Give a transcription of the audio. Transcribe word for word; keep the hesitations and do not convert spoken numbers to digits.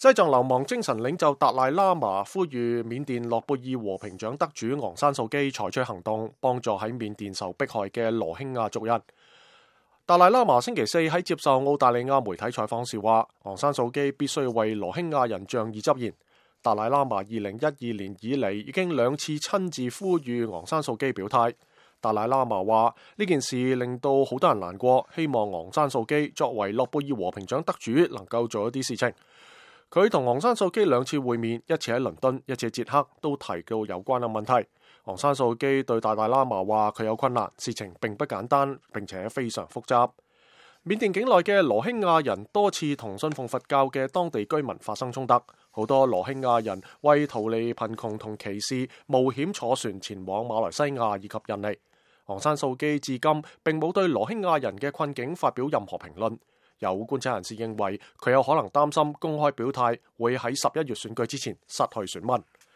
西藏流亡精神領袖達賴喇嘛呼籲緬甸諾貝爾和平獎得主昂山素基採取行動，幫助喺緬甸受迫害嘅羅興亞族人。達賴喇嘛星期四喺接受澳大利亞媒體採訪時話，昂山素基必須為羅興亞人仗義執言。達賴喇嘛二零一二年以嚟已經兩次親自呼籲昂山素基表態。達賴喇嘛話呢件事令到好多人難過，希望昂山素基作為諾貝爾和平獎得主能夠做一啲事情。佢同昂山素基兩次會面，一次喺倫敦，一次喺捷克，都提到有關嘅問題。昂山素基對達賴喇嘛話佢有困難，事情並不簡單，並且非常複雜。緬甸境內嘅羅興亞人多次同信奉佛教嘅當地居民發生衝突，好多羅興亞人為逃離貧窮同歧視，冒險坐船前往馬來西亞以及印尼。昂山素基至今並冇對羅興亞人嘅困境發表任何評論。有觀察人士認為佢有可能擔心公開表態會喺十一月選舉之前失去選民。